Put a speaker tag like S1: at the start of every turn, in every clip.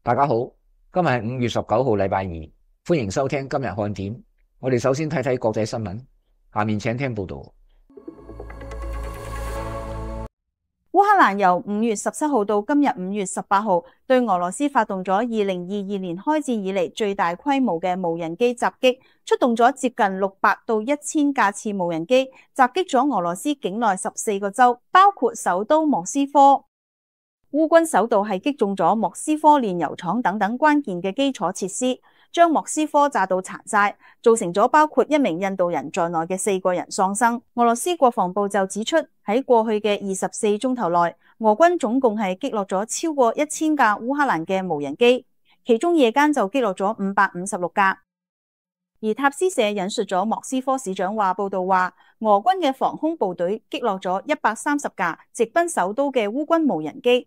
S1: 大家好，今日係5月19號，禮拜二，歡迎收聽今日看點。我哋首先睇睇國際新聞，下面請聽報道。
S2: 烏克蘭由5月17號到今日5月18號，對俄羅斯發動咗2022年開戰以嚟最大規模嘅無人機襲擊，出動咗接近600到1000架次無人機，襲擊咗俄羅斯境內14個州，包括首都莫斯科。烏軍首度係擊中咗莫斯科煉油廠等等關鍵嘅基礎設施，將莫斯科炸到殘晒，造成咗包括1名印度人在內嘅4個人喪生。俄羅斯國防部就指出，喺過去嘅24鐘頭內，俄軍總共係擊落咗超過1000架烏克蘭嘅無人機，其中夜間就擊落咗556架。而塔斯社引述咗莫斯科市長報道話，俄軍嘅防空部隊擊落咗130架直奔首都嘅烏軍無人機。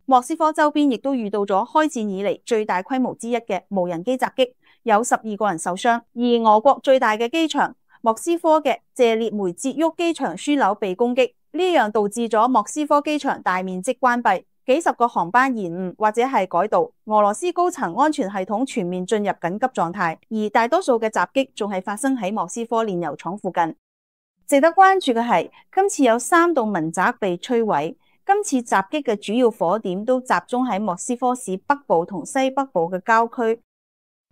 S2: 莫斯科周邊亦都遇到咗開戰以嚟最大規模之一嘅無人機襲擊，有12個人受傷。而俄國最大嘅機場莫斯科嘅謝列梅捷沃機場樞紐被攻擊，呢樣導致咗莫斯科機場大面積關閉，幾十個航班延誤或者係改道。俄羅斯高層安全系統全面進入緊急狀態，而大多數嘅襲擊仲係發生喺莫斯科煉油廠附近。值得關注嘅係，今次有3棟民宅被摧毀。今次襲擊嘅主要火點都集中喺莫斯科市北部同西北部嘅郊區。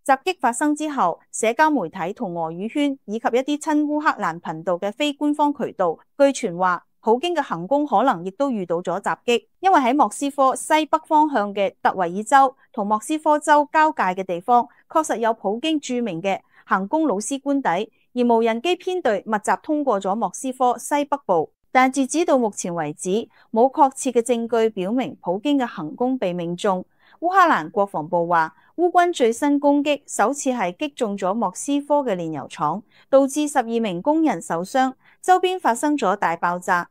S2: 襲擊發生之後，社交媒體同俄語圈以及一啲親烏克蘭頻道嘅非官方渠道，據傳話普京嘅行宮可能亦都遇到咗襲擊，因為喺莫斯科西北方向嘅特維爾州同莫斯科州交界嘅地方，確實有普京著名嘅行宮老師官邸，而無人機編隊密集通過咗莫斯科西北部。但截止到目前為止，冇確切嘅證據表明普京嘅行宮被命中。烏克蘭國防部話，烏軍最新攻擊首次係擊中咗莫斯科嘅煉油廠，導致12名工人受傷，周邊發生咗大爆炸。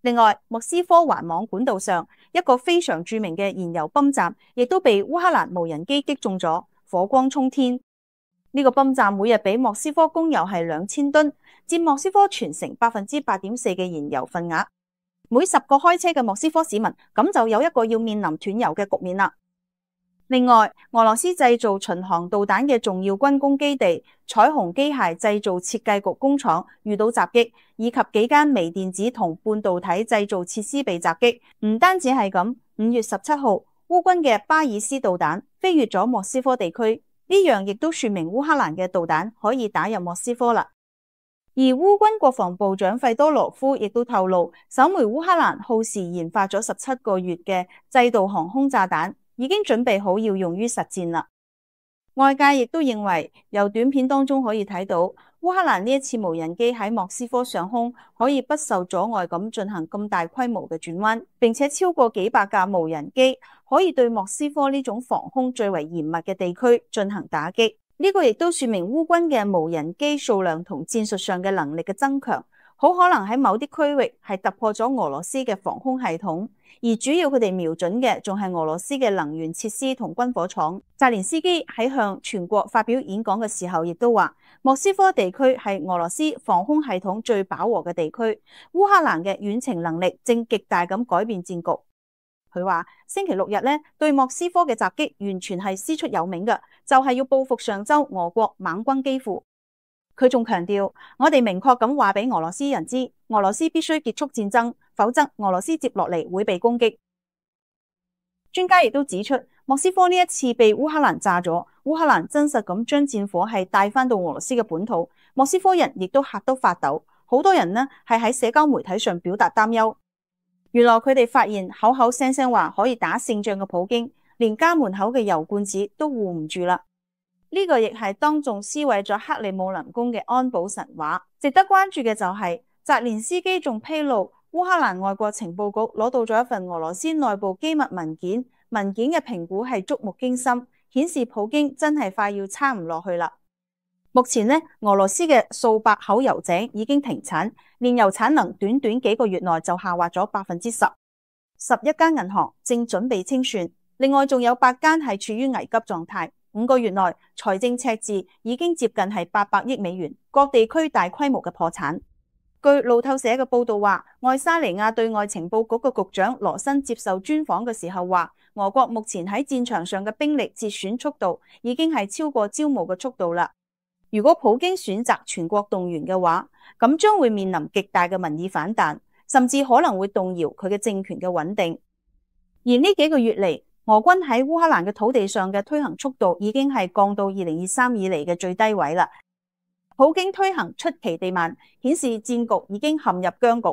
S2: 另外，莫斯科環網管道上一個非常著名嘅燃油泵站，亦都被烏克蘭無人機擊中咗，火光衝天。呢個泵站每日俾莫斯科供油係2000噸，佔莫斯科全城8.4%嘅燃油份額。每10個開車嘅莫斯科市民，咁就有一個要面臨斷油嘅局面啦。另外，俄羅斯製造巡航導彈嘅重要軍工基地彩虹機械製造設計局工廠遇到襲擊，以及幾間微電子同半導體製造設施被襲擊。唔單止係咁，5月17號，烏軍嘅巴爾斯導彈飛越咗莫斯科地區。呢樣亦都說明烏克蘭嘅導彈可以打入莫斯科啦。而烏軍國防部長費多羅夫亦都透露，首枚烏克蘭耗時研發咗17個月嘅制導航空炸彈已經準備好要用於實戰啦。外界亦都認為，由短片當中可以睇到，烏克蘭呢一次無人機喺莫斯科上空可以不受阻礙咁進行咁大規模嘅轉彎，並且超過幾百架無人機可以對莫斯科呢種防空最為嚴密嘅地區進行打擊。呢個亦都說明烏軍嘅無人機數量同戰術上嘅能力嘅增強，好可能喺某啲區域係突破咗俄羅斯嘅防空系統，而主要佢哋瞄準嘅仲係俄羅斯嘅能源設施同軍火廠。澤連斯基喺向全國發表演講嘅時候，亦都話莫斯科地區係俄羅斯防空系統最飽和嘅地區，烏克蘭嘅遠程能力正極大咁改變戰局。佢話星期6日咧對莫斯科嘅襲擊完全係師出有名嘅，就係要報復上周俄國猛攻基輔。佢仲強調，我哋明確咁話俾俄羅斯人知，俄羅斯必須結束戰爭，否則俄羅斯接落嚟會被攻擊。專家亦都指出，莫斯科呢一次被烏克蘭炸咗，烏克蘭真實咁將戰火係帶翻到俄羅斯嘅本土，莫斯科人亦都嚇到發抖，好多人呢係喺社交媒體上表達擔憂。原來佢哋發現口口聲聲話可以打勝仗嘅普京，連家門口嘅油罐子都護唔住啦。呢個亦係當眾撕毀咗克里姆林宮嘅安保神話。值得關注嘅就係澤連斯基仲披露，烏克蘭外國情報局攞到咗一份俄羅斯內部機密文件，文件嘅評估係觸目驚心，顯示普京真係快要撐唔落去啦。目前呢，俄羅斯嘅數百口油井已經停產，煉油產能短短幾個月內就下滑咗10%，11間銀行正準備清算，另外仲有8間係處於危急狀態。5個月內財政赤字已經接近係800億美元，各地區大規模嘅破產。據路透社嘅報道話，愛沙尼亞對外情報局嘅局長羅森接受專訪嘅時候話，俄國目前喺戰場上嘅兵力折損速度已經係超過招募嘅速度啦。如果普京選擇全國動員嘅話，咁將會面臨極大嘅民意反彈，甚至可能會動搖佢嘅政權嘅穩定。而呢幾個月嚟，俄軍喺烏克蘭嘅土地上嘅推行速度已經係降到2023以嚟嘅最低位啦。普京推行出奇地慢，顯示戰局已經陷入僵局。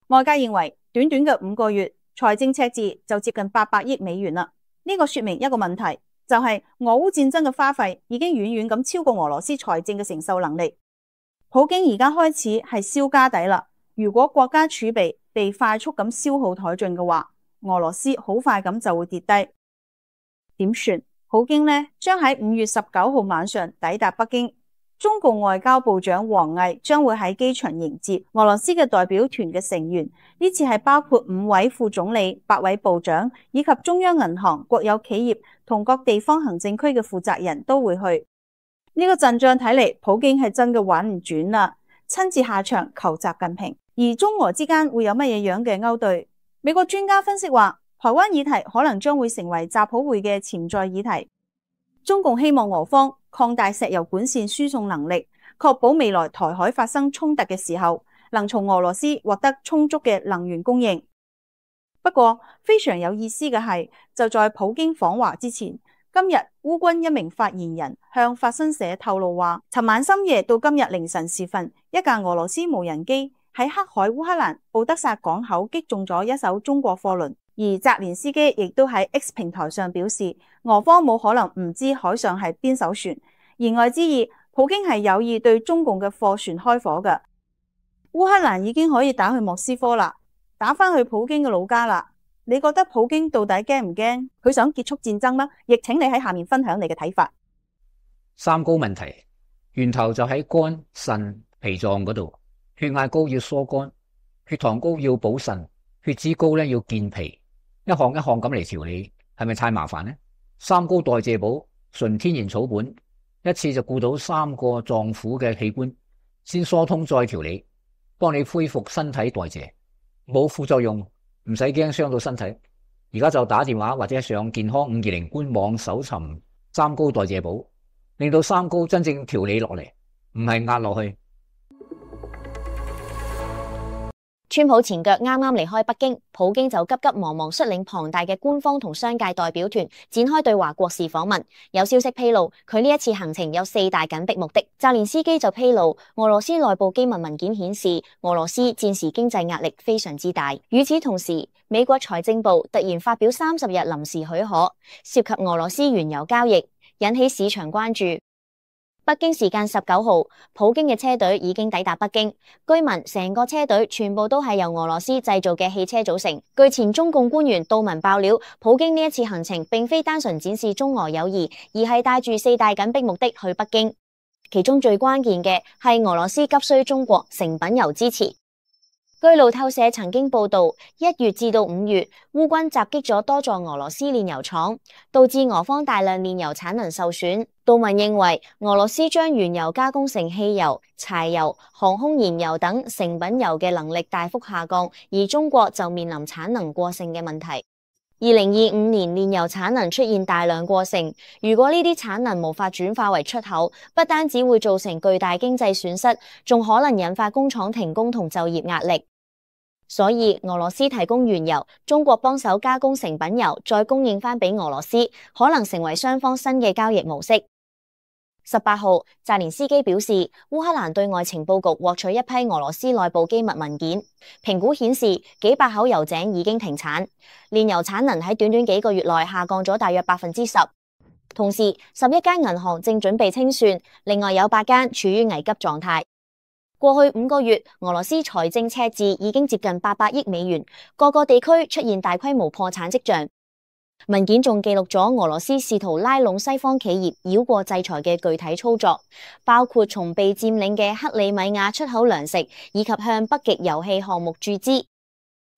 S2: 外界認為，短短嘅5個月，財政赤字就接近800億美元啦。呢個說明一個問題，就係俄烏戰爭嘅花費已經遠遠咁超過俄羅斯財政嘅承受能力。普京而家開始係燒家底啦。如果國家儲備被快速咁消耗殆盡嘅話，俄羅斯好快咁就會跌低。點算？普京呢將喺5月19號晚上抵達北京，中共外交部長王毅將會喺機場迎接俄羅斯嘅代表團嘅成員。呢次係包括5位副總理、8位部長以及中央銀行、國有企業同各地方行政區嘅負責人都會去。呢個陣仗睇嚟，普京係真嘅玩唔轉啦，親自下場求習近平。而中俄之間會有乜嘢樣嘅勾兌？美國專家分析話，台灣議題可能將會成為習普會嘅潛在議題。中共希望俄方擴大石油管線輸送能力，確保未來台海發生衝突嘅時候，能從俄羅斯獲得充足嘅能源供應。不過非常有意思嘅係，就在普京訪華之前，今日烏軍一名發言人向法新社透露話，尋晚深夜到今日凌晨時分，一架俄羅斯無人機喺黑海烏克蘭敖德薩港口擊中咗一艘中國貨輪，而澤連斯基亦都喺 X 平台上表示，俄方冇可能唔知海上係邊艘船，言外之意，普京係有意對中共嘅貨船開火嘅。烏克蘭已經可以打去莫斯科啦，打返去普京嘅老家啦。你覺得普京到底驚唔驚？佢想結束戰爭嗎？亦請你喺下面分享你嘅睇法。
S1: 三高問題源頭就喺肝、腎、脾臟嗰度。血壓高要疏肝，血糖高要補腎，血脂高咧要健脾，一項一項咁嚟調理，係咪太麻煩呢？三高代謝寶純天然草本，一次就顧到3個臟腑嘅器官，先疏通再調理，幫你恢復身體代謝，冇副作用，唔使驚傷到身體。而家就打電話或者上健康520官網搜尋三高代謝寶，令到三高真正調理落嚟，唔係壓落去。
S3: 川普前腳啱啱離開北京，普京就急急忙忙率領龐大嘅官方同商界代表團展開對華國事訪問。有消息披露，佢呢一次行程有4大緊迫目的。澤連斯基就披露，俄羅斯內部機密文件顯示，俄羅斯戰時經濟壓力非常之大。與此同時，美國財政部突然發表30日臨時許可，涉及俄羅斯原油交易，引起市場關注。北京時間19號，普京嘅車隊已經抵達北京。據聞成個車隊全部都係由俄羅斯製造嘅汽車組成。據前中共官員杜文爆料，普京呢一次行程並非單純展示中俄友誼，而係帶住4大緊迫目的去北京。其中最關鍵嘅係俄羅斯急需中國成品油支持。據路透社曾經報道，1月至到5月，烏軍襲擊咗多座俄羅斯煉油廠，導致俄方大量煉油產能受損。杜文認為，俄羅斯將原油加工成汽油、柴油、航空燃油等成品油嘅能力大幅下降，而中國就面臨產能過剩嘅問題。2025年煉油產能出現大量過剩，如果呢啲產能無法轉化為出口，不單只會造成巨大經濟損失，仲可能引發工廠停工同就業壓力。所以俄羅斯提供原油，中國幫手加工成品油，再供應翻俾俄羅斯，可能成為雙方新嘅交易模式。18號，澤連斯基表示，烏克蘭對外情報局獲取一批俄羅斯內部機密文件，評估顯示幾百口油井已經停產，煉油產能喺短短幾個月內下降咗大約10%。同時，11間銀行正準備清算，另外有8間處於危急狀態。過去5個月，俄羅斯財政赤字已經接近800億美元，各個地區出現大規模破產跡象。文件仲記錄咗俄羅斯試圖拉攏西方企業繞過制裁嘅具體操作，包括從被佔領嘅克里米亞出口糧食，以及向北極油氣項目注資。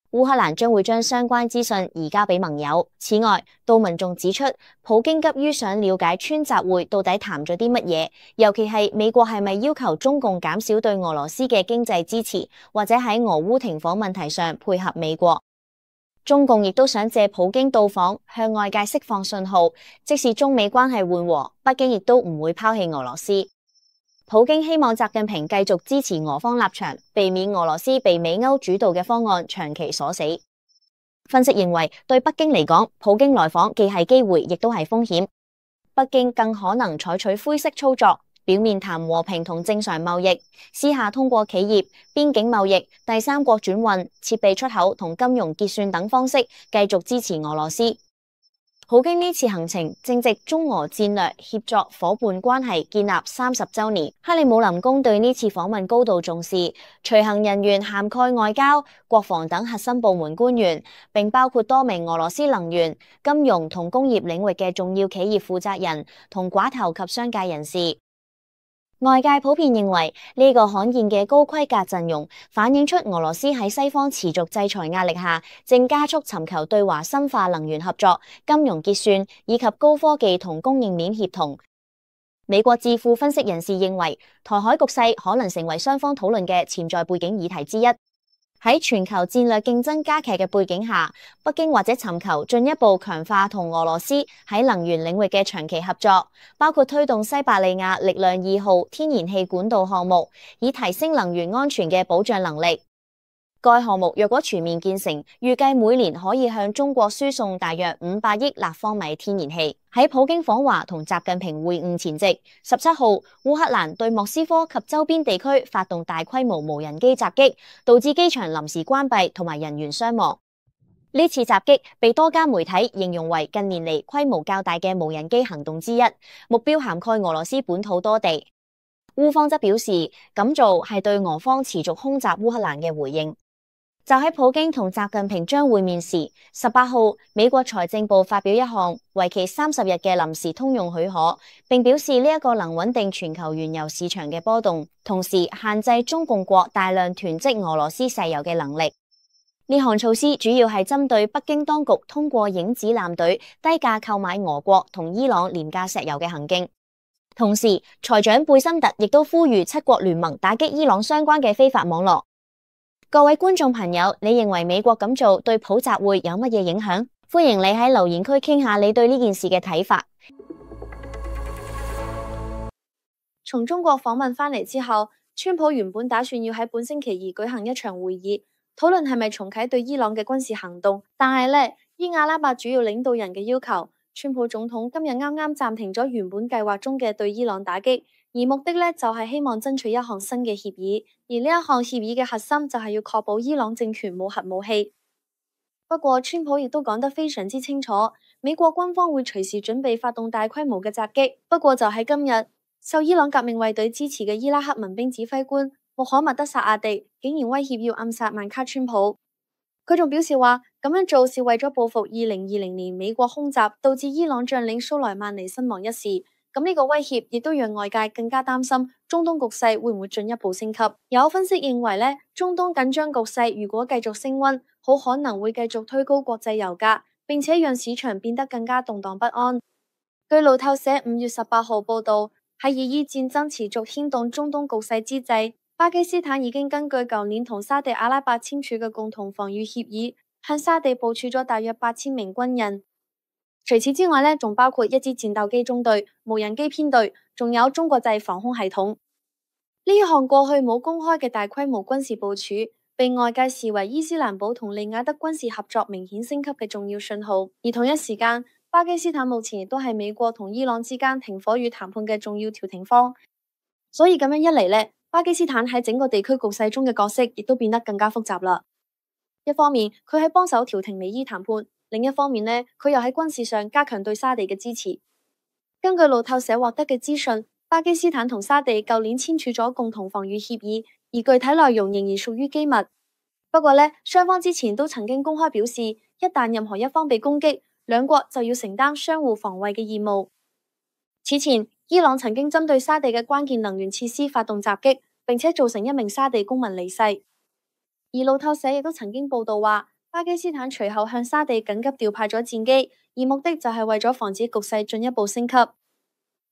S3: 烏克蘭將會將相關資訊移交俾盟友。此外，杜文仲指出，普京急於想了解川習會到底談咗啲乜嘢，尤其係美國係咪要求中共減少對俄羅斯嘅經濟支持，或者喺俄烏停火問題上配合美國。中共亦都想借普京到訪向外界釋放信號，即使中美關係緩和，北京亦都唔會拋棄俄羅斯。普京希望習近平繼續支持俄方立場，避免俄羅斯被美歐主導嘅方案長期鎖死。分析認為，對北京嚟講，普京來訪既係機會，亦都係風險。北京更可能採取灰色操作，表面談和平同正常貿易，私下通過企業、邊境貿易、第三國轉運、設備出口同金融結算等方式繼續支持俄羅斯。普京呢次行程正值中俄戰略協作夥伴關係建立30週年，克里姆林宮對呢次訪問高度重視，隨行人員涵蓋外交、國防等核心部門官員，並包括多名俄羅斯能源、金融同工業領域嘅重要企業負責人同寡頭及商界人士。外界普遍認為呢個罕見嘅高規格陣容，反映出俄羅斯喺西方持續制裁壓力下，正加速尋求對華深化能源合作、金融結算以及高科技同供應鏈協同。美國智庫分析人士認為，台海局勢可能成為雙方討論嘅潛在背景議題之一。喺全球戰略競爭加劇嘅背景下，北京或者尋求進一步強化同俄羅斯喺能源領域嘅長期合作，包括推動西伯利亞力量2號天然氣管道項目，以提升能源安全嘅保障能力。該項目若果全面建成，預計每年可以向中國輸送大約500億立方米天然氣。喺普京訪華同習近平會晤前夕，17號烏克蘭對莫斯科及周邊地區發動大規模無人機襲擊，導致機場臨時關閉同埋人員傷亡。呢次襲擊被多家媒體形容為近年嚟規模較大嘅無人機行動之一，目標涵蓋俄羅斯本土多地。烏方則表示，咁做係對俄方持續空襲烏克蘭嘅回應。就喺普京同習近平將會面時，18號美國財政部發表一項為期30日嘅臨時通用許可，並表示呢一個能穩定全球原油市場嘅波動，同時限制中共國大量囤積俄羅斯石油嘅能力。呢項措施主要係針對北京當局通過影子艦隊低價購買俄國同伊朗廉價石油嘅行徑。同時，財長貝森特亦都呼籲7國聯盟打擊伊朗相關嘅非法網絡。各位觀眾朋友，你認為美國咁做對普集會有乜嘢影響？歡迎你喺留言區傾下你對呢件事嘅睇法。
S2: 從中國訪問返嚟之後，川普原本打算要喺本星期二舉行一場會議，討論係咪重啟對伊朗嘅軍事行動。但係呢，依阿拉伯主要領導人嘅要求，川普總統今日啱啱暫停咗原本計劃中嘅對伊朗打擊。而目的呢，就係希望爭取一項新嘅協議，而呢一項協議嘅核心就係要確保伊朗政權冇核武器。不過，川普亦都講得非常之清楚，美國軍方會隨時準備發動大規模嘅襲擊。不過就喺今日，受伊朗革命衛隊支持嘅伊拉克民兵指揮官穆罕默德薩阿迪竟然威脅要暗殺曼卡川普。佢仲表示話，咁樣做是為咗報復2020年美國空襲導致伊朗將領蘇萊曼尼身亡一事。咁呢個威脅亦都讓外界更加擔心中東局勢會唔會進一步升級。有分析認為呢，中東緊張局勢如果繼續升溫，好可能會繼續推高國際油價，並且讓市場變得更加動盪不安。據路透社5月18號報道，喺以伊戰爭持續牽動中東局勢之際，巴基斯坦已經根據舊年同沙地阿拉伯簽署嘅共同防禦協議，向沙地部署咗大約8000名軍人。除此之外呢，仲包括一支戰鬥機中隊、無人機編隊，仲有中國製防空系統。呢一項過去冇公開嘅大規模軍事部署，被外界視為伊斯蘭堡同利雅得軍事合作明顯升級嘅重要信號。而同一時間，巴基斯坦目前亦都係美國同伊朗之間停火與談判嘅重要調停方。所以咁樣一嚟呢，巴基斯坦喺整個地區局勢中嘅角色亦都變得更加複雜啦。一方面，佢喺幫手調停美伊談判。另一方面呢，佢又喺軍事上加強對沙地嘅支持。根據路透社獲得嘅資訊，巴基斯坦同沙地舊年簽署咗共同防禦協議，而具體內容仍然屬於機密。不過呢，雙方之前都曾經公開表示，一旦任何一方被攻擊，兩國就要承擔相互防衛嘅義務。此前，伊朗曾經針對沙地嘅關鍵能源設施發動襲擊，並且造成1名沙地公民離世。而路透社亦都曾經報道話，巴基斯坦隨後向沙地緊急調派咗戰機，而目的就係為咗防止局勢進一步升級。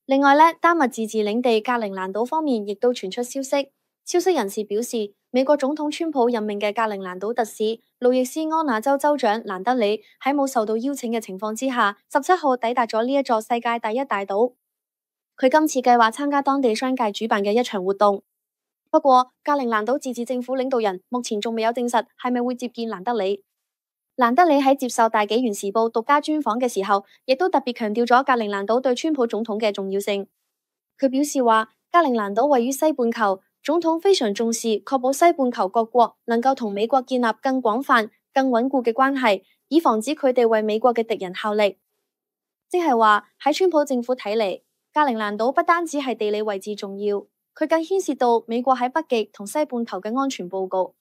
S2: 另外呢，丹麥自治領地格陵蘭島方面亦都傳出消息，消息人士表示，
S4: 美國總統川普任命嘅格陵蘭島特使路易斯安那州州長蘭德里喺冇受到邀請嘅情況之下，17號抵達咗呢一座世界第一大島。佢今次計劃參加當地商界主辦嘅一場活動。不過，格陵蘭島自治政府領導人目前仲未有證實係咪會接見蘭德里。蘭德里喺接受大紀元時報獨家專訪嘅時候，亦都特別強調咗格陵蘭島對川普總統嘅重要性。佢表示話，格陵蘭島位於西半球，總統非常重視確保西半球各國能夠同美國建立更廣泛、更穩固嘅關係，以防止佢哋為美國嘅敵人效力。即係話喺川普政府睇嚟，格陵蘭島不單止係地理位置重要，佢更牽涉到美國喺北極同西半球嘅安全報告。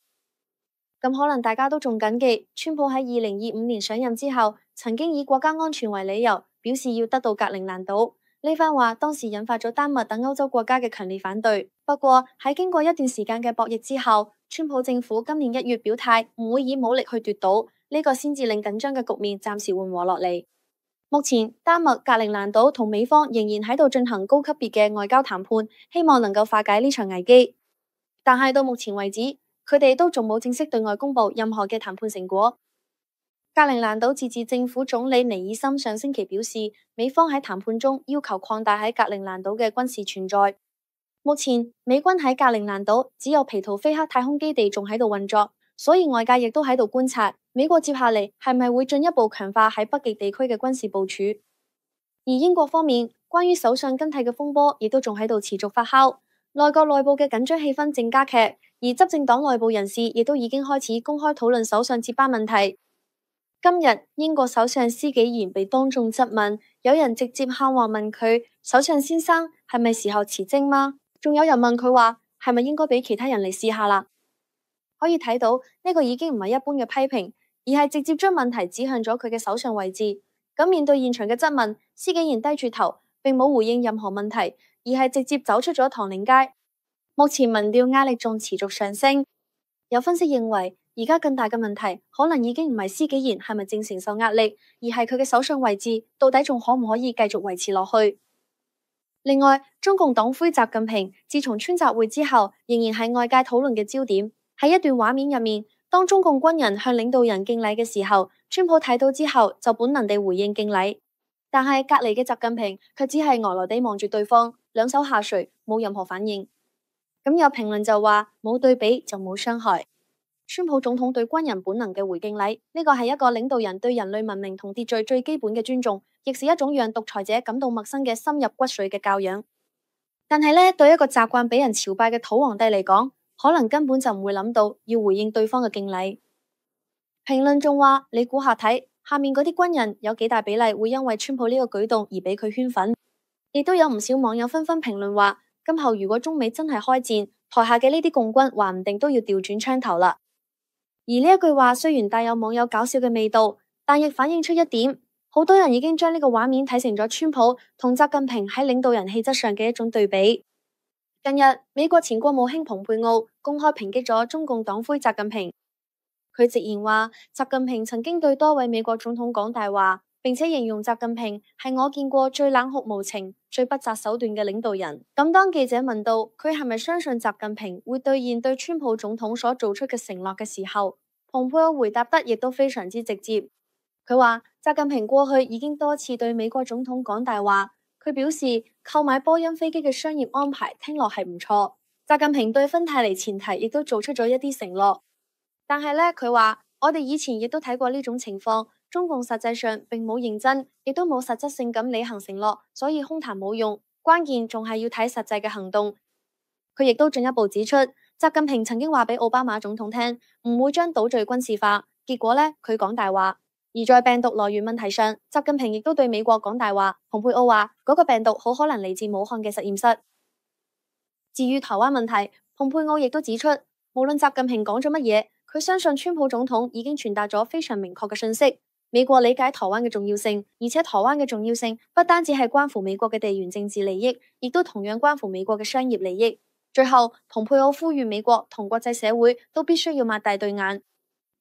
S4: 咁可能大家都仲謹記，川普喺2025年上任之後，曾經以國家安全為理由，表示要得到格陵蘭島。呢番話當時引發咗丹麥等歐洲國家嘅強烈反對。不過喺經過一段時間嘅博弈之後，川普政府今年1月表態唔會以武力去奪島，呢個先至令緊張嘅局面暫時緩和落嚟。目前丹麥、格陵蘭島同美方仍然喺度進行高級別嘅外交談判，希望能夠化解呢場危機。但係到目前為止，佢哋都仲冇正式對外公布任何嘅談判成果。格陵蘭島自治政府總理尼爾森上星期表示，美方喺談判中要求擴大喺格陵蘭島嘅軍事存在。目前美軍喺格陵蘭島只有皮圖菲克太空基地仲喺度運作，所以外界亦都喺度觀察美國接下嚟係咪會進一步強化喺北極地區嘅軍事部署。而英國方面，關於首相更替嘅風波亦都仲喺度持續發酵，內閣內部嘅緊張氣氛正加劇，而執政黨內部人士亦都已經開始公開討論首相接班問題。今日英國首相施紀賢被當眾質問，有人直接喊話問佢：首相先生係咪時候辭職嗎？仲有人問佢話係咪應該俾其他人嚟試下啦？可以睇到呢個已經唔係一般嘅批評，而係直接將問題指向咗佢嘅首相位置。咁面對現場嘅質問，施紀賢低住頭，並冇回應任何問題，而係直接走出咗唐寧街。目前民調壓力仲持續上升，有分析認為，而家更大嘅問題可能已經唔係施紀賢係咪正承受壓力，而係佢嘅首相位置到底仲可唔可以繼續維持落去。另外，中共黨魁習近平自從川習會之後，仍然係外界討論嘅焦點。喺一段畫面入面，當中共軍人向領導人敬禮嘅時候，川普睇到之後就本能地回應敬禮，但係隔籬嘅習近平卻只係呆呆地望住對方，兩手下垂，冇任何反應。咁有評論就話，冇對比就冇傷害。川普總統對軍人本能嘅回敬禮，呢個係一個領導人對人類文明同秩序最基本嘅尊重，亦是一種讓獨裁者感到陌生嘅深入骨髓嘅教養。但係呢，對一個習慣俾人朝拜嘅土皇帝嚟講，可能根本就唔會諗到要回應對方嘅敬禮。評論仲話，你估下睇，下面嗰啲軍人有幾大比例會因為川普呢個舉動而俾佢圈粉？亦都有唔少網友紛紛評論話，今後如果中美真係開戰，台下嘅呢啲共軍話唔定都要調轉槍頭啦。而呢一句話雖然帶有網友搞笑嘅味道，但亦反映出一點，好多人已經將呢個畫面睇成咗川普同習近平喺領導人氣質上嘅一種對比。近日，美國前國務卿蓬佩奧公開抨擊咗中共黨魁習近平，佢直言話，習近平曾經對多位美國總統講大話，並且形容習近平係我見過最冷酷無情、最不擇手段嘅領導人。咁當記者問到佢係咪相信習近平會兌現對川普總統所做出嘅承諾嘅時候，蓬佩奧回答得亦都非常之直接。佢話習近平過去已經多次對美國總統講大話。佢表示購買波音飛機嘅商業安排聽落係唔錯。習近平對芬太尼前提亦都做出咗一啲承諾，但係呢，佢話我哋以前亦都睇過呢種情況。中共實際上並冇認真，亦都冇實質性咁履行承諾，所以空談冇用，關鍵仲係要睇實際嘅行動。佢亦都進一步指出，習近平曾經話俾奧巴馬總統聽，唔會將島嶼軍事化，結果呢，佢講大話。而在病毒來源問題上，習近平亦都對美國講大話。蓬佩奧話嗰個病毒好可能嚟自武漢嘅實驗室。至於台灣問題，蓬佩奧亦都指出，無論習近平講咗乜嘢，佢相信川普總統已經傳達咗非常明確嘅信息。美國理解台灣嘅重要性，而且台灣嘅重要性不單止係關乎美國嘅地緣政治利益，亦都同樣關乎美國嘅商業利益。最後，蓬佩奧呼籲美國同國際社會都必須要擘大對眼。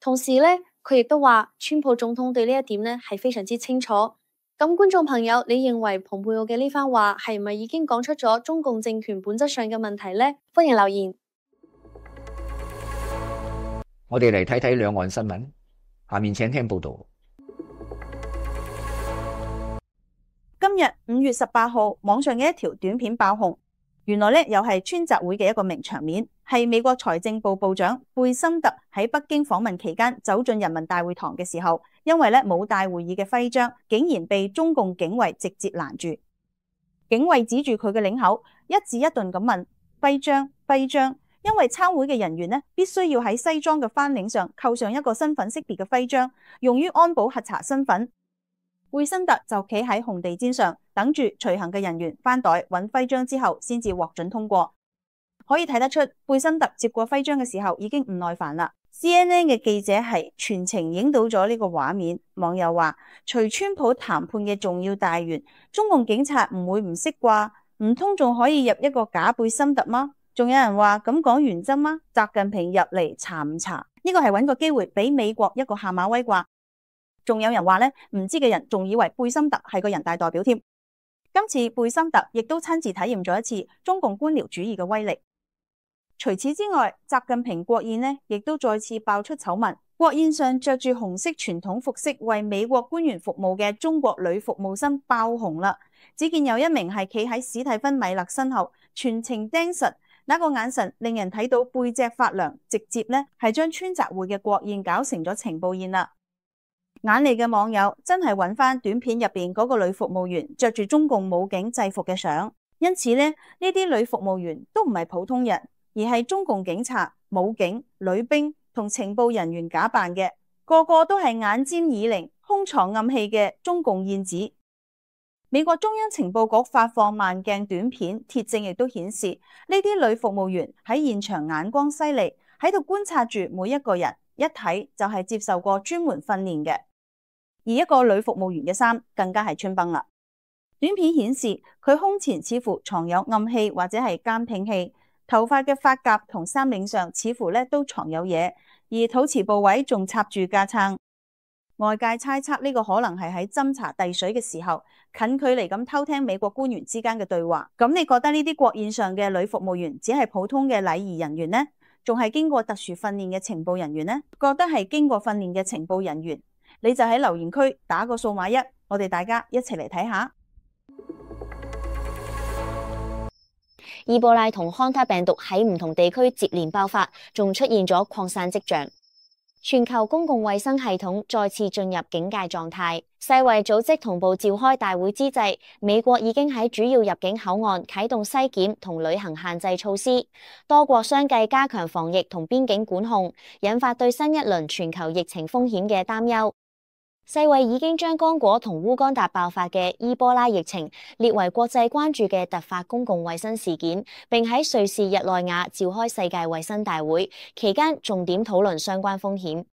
S4: 同時呢，佢亦都話，川普總統對呢一點呢係非常之清楚。咁觀眾朋友，你認為蓬佩奧嘅呢番話係唔係已經講出咗中共政權本質上嘅問題呢？歡迎留言。
S1: 我哋嚟睇睇兩岸新聞，下面請聽報道。
S2: 今日5月18號，網上嘅一條短片爆紅，原來又係川習會嘅一個名場面，係美國財政部部長貝森特喺北京訪問期間走進人民大會堂嘅時候，因為冇帶會議嘅徽章，竟然被中共警衛直接攔住。警衛指住佢嘅領口，一字一頓咁問：徽章，徽章。因為參會嘅人員必須要喺西裝嘅翻領上扣上一個身份識別嘅徽章，用於安保核查身份。貝森特就企喺紅地毯上，等住隨行嘅人員翻袋揾徽章之後，先至獲准通過。可以睇得出，貝森特接過徽章嘅時候已經唔耐煩啦。CNN 嘅記者係全程影到咗呢個畫面。網友話：隨川普談判嘅重要大員，中共警察唔會唔識啩？唔通仲可以入一個假貝森特嗎？仲有人話咁講原則嗎？習近平入嚟查唔查？呢個係揾個機會俾美國一個下馬威啩？仲有人話唔知嘅人仲以為貝森特係個人大代表添。今次貝森特亦都親自體驗咗一次中共官僚主義嘅威力。除此之外，習近平國宴亦都再次爆出醜聞。國宴上着住紅色傳統服飾為美國官員服務嘅中國女服務生爆紅啦。只見有一名係企喺史蒂芬米勒身後，全程盯實。那個眼神令人睇到背脊發涼，直接係將川習會嘅國宴搞成咗情報宴啦。眼利嘅網友真係揾翻短片入邊嗰個女服務員着住中共武警制服嘅相，因此呢啲女服務員都唔係普通人，而係中共警察、武警、女兵同情報人員假扮嘅，個個都係眼尖耳靈、胸藏暗器嘅中共燕子。美國中央情報局發放慢鏡短片，鐵證亦都顯示呢啲女服務員喺現場眼光犀利，喺度觀察住每一個人，一睇就係接受過專門訓練嘅。而一個女服務員嘅衫更加係穿崩啦。短片顯示佢胸前似乎藏有暗器或者係監聽器，頭髮嘅髮夾同衫領上似乎都藏有嘢，而肚臍部位仲插住架撐。外界猜測呢個可能係喺斟茶遞水嘅時候，近距離咁偷聽美國官員之間嘅對話。咁你覺得呢啲國宴上嘅女服務員只係普通嘅禮儀人員呢？仲係經過特殊訓練嘅情報人員呢？覺得係經過訓練嘅情報人員，你就喺留言區打個數碼1，我哋大家一齊嚟睇下。
S3: 伊波拉同康他病毒喺唔同地區接連爆發，仲出現咗擴散跡象。全球公共衛生系統再次進入警戒狀態。世衛組織同步召開大會之際，美國已經喺主要入境口岸啟動篩檢同旅行限制措施，多國相繼加強防疫同邊境管控，引發對新一輪全球疫情風險嘅擔憂。世衛已經將剛果同烏干達爆發嘅伊波拉疫情列為國際關注嘅突發公共衛生事件，並喺瑞士日內瓦召開世界衛生大會，期間重點討論相關風險。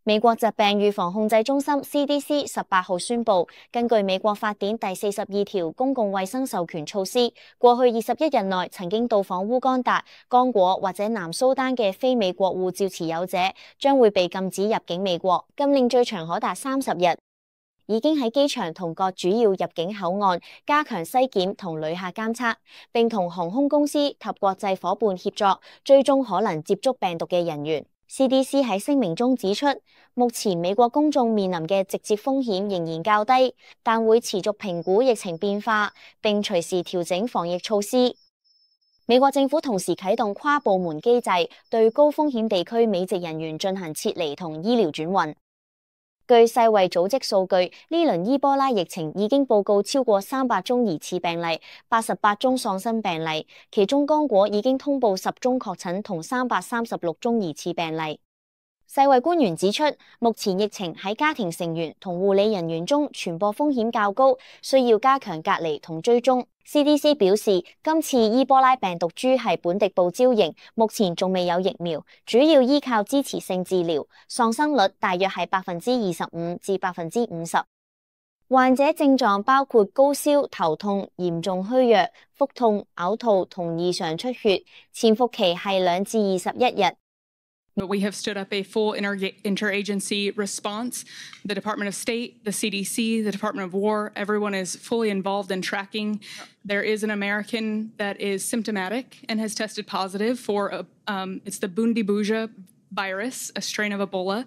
S3: 美國疾病預防控制中心 CDC 18號宣布，根據美國法典第42條公共衛生授權措施，過去21日內曾經到訪烏干達、剛果或者南蘇丹嘅非美國護照持有者，將會被禁止入境美國，禁令最長可達30日。已經喺機場同各主要入境口岸加強篩檢同旅客監測，並同航空公司及國際夥伴協作，追蹤可能接觸病毒嘅人員。CDC 喺聲明中指出，目前美國公眾面臨嘅直接風險仍然較低，但會持續評估疫情變化，並隨時調整防疫措施。美國政府同時啟動跨部門機制，對高風險地區美籍人員進行撤離同醫療轉運。據世衛組織數據，呢輪伊波拉疫情已經報告超過300宗疑似病例，88宗喪生病例，其中剛果已經通報10宗確診同336宗疑似病例。世衛官員指出，目前疫情喺家庭成員同護理人員中傳播風險較高，需要加強隔離同追蹤。CDC 表示，今次伊波拉病毒株係本地報招型，目前仲未有疫苗，主要依靠支持性治療，喪生率大約係25%至50%。患者症狀包括高燒、頭痛、嚴重虛弱、腹痛、嘔吐同異常出血，潛伏期係2至21日。
S5: But we have stood up a full interagency response. The Department of State, the CDC, the Department of War, everyone is fully involved in tracking. There is an American that is symptomatic and has tested positive for, it's the Bundibuja virus, a strain of Ebola.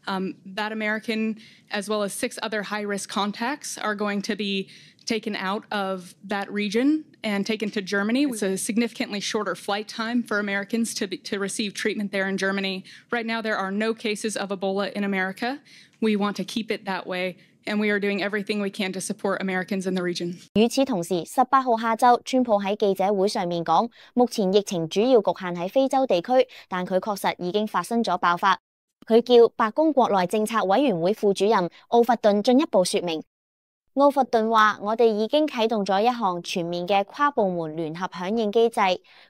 S5: That American, as well as 6 other high-risk contacts, are going to be taken out of that region and taken to Germany. It's a significantly shorter flight time for Americans to receive treatment there in Germany. Right now, there are no cases of Ebola in America. We want to keep it that way, and we are doing everything we can to support Americans in the region.
S3: 與此同時，18號下晝，川普喺記者會上面講，目前疫情主要局限喺非洲地區，但佢確實已經發生咗爆發。佢叫白宮國內政策委員會副主任奧弗頓進一步說明。奧弗頓話：我哋已經啟動咗一項全面嘅跨部門聯合響應機制，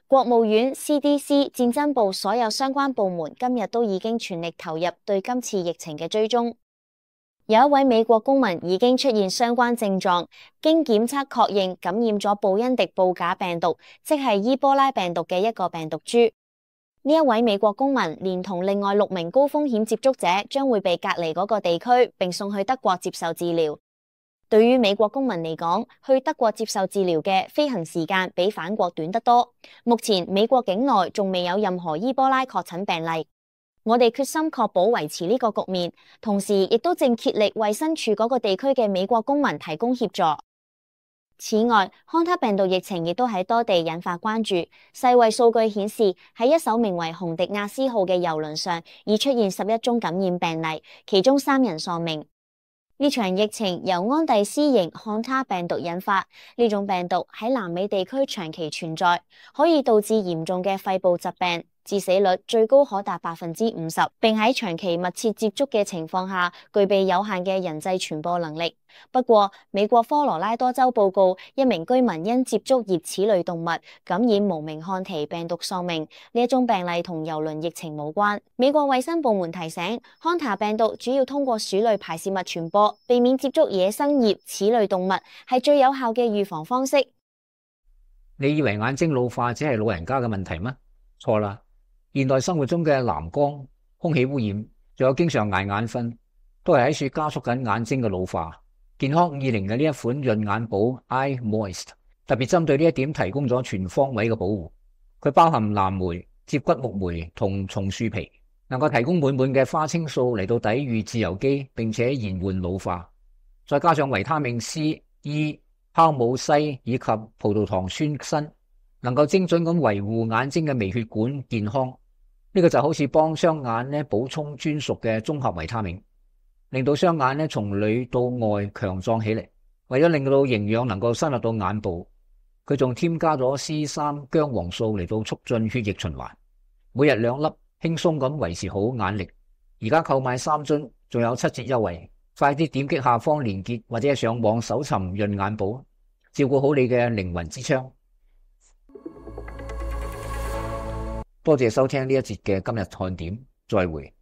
S3: 國務院、CDC、戰爭部所有相關部門今日都已經全力投入對今次疫情嘅追蹤。有一位美國公民已經出現相關症狀，經檢測確認感染咗布因迪布假病毒，即係伊波拉病毒嘅一個病毒株。呢一位美國公民連同另外6名高風險接觸者將會被隔離嗰個地區，並送去德國接受治療。對於美國公民嚟講，去德國接受治療嘅飛行時間比返國短得多。目前美國境內仲未有任何伊波拉確診病例。我哋決心確保維持呢個局面，同時亦都正竭力為身處嗰個地區嘅美國公民提供協助。此外，康他病毒疫情亦都喺多地引發關注。世衛數據顯示，喺一艘名為紅迪亞斯號嘅郵輪上，已出現11宗感染病例，其中3人喪命。呢場疫情由安第斯型漢他病毒引發，呢種病毒喺南美地區長期存在，可以導致嚴重嘅肺部疾病，致死率最高可達50%，並喺長期密切接觸嘅情況下，具備有限嘅人際傳播能力。不過，美國科羅拉多州報告一名居民因接觸熱齒類動物感染無名漢蹄病毒喪命，呢一宗病例同郵輪疫情無關。美國衛生部門提醒，漢他病毒主要通過鼠類排泄物傳播，避免接觸野生熱齒類動物係最有效嘅預防方式。
S1: 你以為眼睛老化只係老人家嘅問題咩？錯啦！現代生活中嘅藍光、空氣污染，仲有經常捱眼瞓，都係喺處加速緊眼睛嘅老化。健康520嘅呢一款潤眼寶 Eye Moist 特別針對呢一點提供咗全方位嘅保護。佢包含藍莓、接骨木莓同松樹皮，能夠提供滿滿嘅花青素嚟到抵禦自由基，並且延緩老化。再加上維他命 C、E、酵母硒以及葡萄糖酸鋅，能夠精準咁維護眼睛嘅微血管健康。呢個就好似幫雙眼補充專屬嘅綜合維他命，令到雙眼從裏到外強壯起嚟。為咗令到營養能夠深入到眼部，佢仲添加咗 C3 薑黃素嚟到促進血液循環。每日2粒，輕鬆咁維持好眼力。而家購買3樽，仲有7折優惠。快啲點擊下方連結或者上網搜尋潤眼寶，照顧好你嘅靈魂之窗。多謝收聽呢一節嘅今日看點，再會。